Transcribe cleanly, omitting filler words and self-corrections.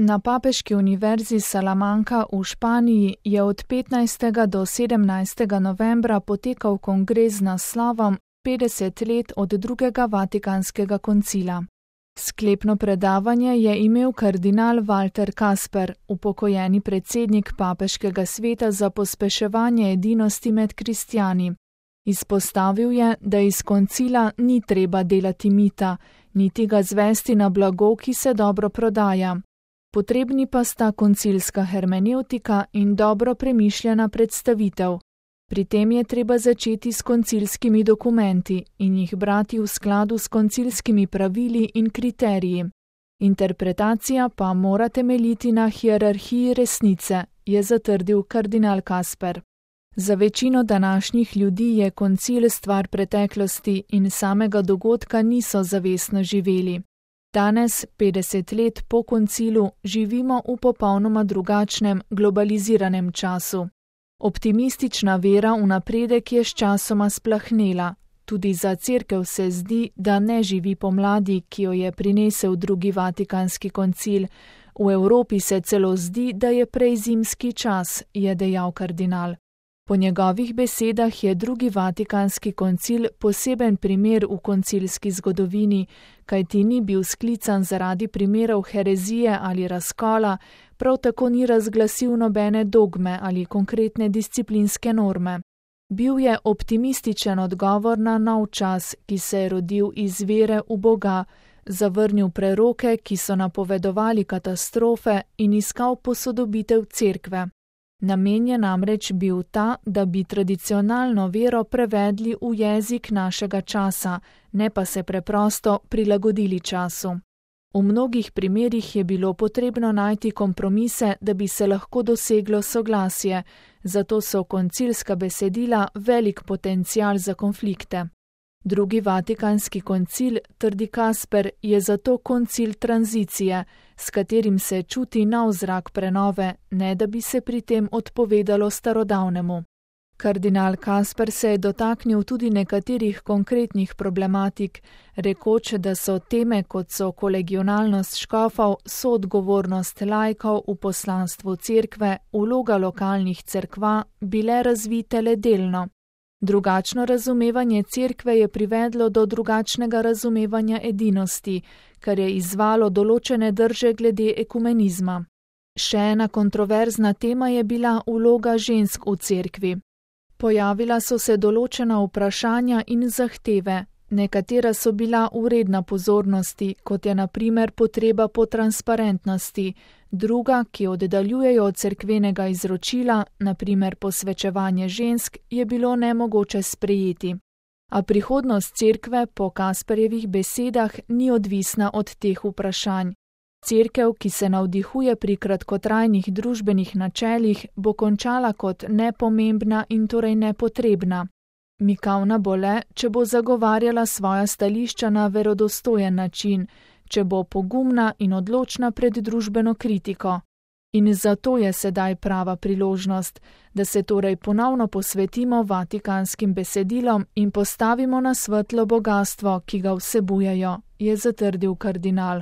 Na Papeški univerzi Salamanca v Španiji je od 15. do 17. novembra potekal kongres z naslovom 50 let od drugega Vatikanskega koncila. Sklepno predavanje je imel kardinal Walter Kasper, upokojeni predsednik Papeškega sveta za pospeševanje edinosti med kristjani. Izpostavil je, da iz koncila ni treba delati mita, niti ga zvesti na blago, ki se dobro prodaja. Potrebni pa sta koncilska hermenevtika in dobro premišljena predstavitev. Pri tem je treba začeti s koncilskimi dokumenti in jih brati v skladu s koncilskimi pravili in kriteriji. Interpretacija pa mora temeljiti na hierarhiji resnice, je zatrdil kardinal Kasper. Za večino današnjih ljudi je koncil stvar preteklosti in samega dogodka niso zavestno živeli. Danes, 50 let po koncilu, živimo v popolnoma drugačnem, globaliziranem času. Optimistična vera v napredek je sčasoma splahnela. Tudi za cerkev se zdi, da ne živi pomladi, ki jo je prinesel drugi Vatikanski koncil. V Evropi se celo zdi, da je prej zimski čas, je dejal kardinal. Po njegovih besedah je drugi Vatikanski koncil poseben primer v koncilski zgodovini, kajti ni bil sklican zaradi primerov herezije ali razkola, prav tako ni razglasil nobene dogme ali konkretne disciplinske norme. Bil je optimističen odgovor na nov čas, ki se je rodil iz vere v Boga, zavrnil preroke, ki so napovedovali katastrofe in iskal posodobitev cerkve. Namen je namreč bil ta, da bi tradicionalno vero prevedli v jezik našega časa, ne pa se preprosto prilagodili času. V mnogih primerih je bilo potrebno najti kompromise, da bi se lahko doseglo soglasje, zato so koncilska besedila velik potencial za konflikte. Drugi Vatikanski koncil, trdi Kasper, je zato koncil tranzicije, s katerim se čuti nov zrak prenove, ne da bi se pri tem odpovedalo starodavnemu. Kardinal Kasper se je dotaknil tudi nekaterih konkretnih problematik, rekoč, da so teme, kot so kolegionalnost škofov, soodgovornost laikov v poslanstvu cerkve, vloga lokalnih cerkva, bile razvite le delno. Drugačno razumevanje cerkve je privedlo do drugačnega razumevanja edinosti, kar je izzvalo določene drže glede ekumenizma. Še ena kontroverzna tema je bila vloga žensk v cerkvi. Pojavila so se določena vprašanja in zahteve, nekatera so bila vredna pozornosti, kot je na primer potreba po transparentnosti, druga, ki oddaljujejo od cerkvenega izročila, na primer posvečevanje žensk, je bilo nemogoče sprejeti. A prihodnost cerkve po Kasperjevih besedah ni odvisna od teh vprašanj. Cerkev, ki se navdihuje pri kratkotrajnih družbenih načelih, bo končala kot nepomembna in torej nepotrebna. Mikavna bo le, če bo zagovarjala svoja stališča na verodostojen način, če bo pogumna in odločna pred družbeno kritiko. In zato je sedaj prava priložnost, da se torej ponovno posvetimo vatikanskim besedilom in postavimo na svetlo bogastvo, ki ga vsebujejo, je zatrdil kardinal.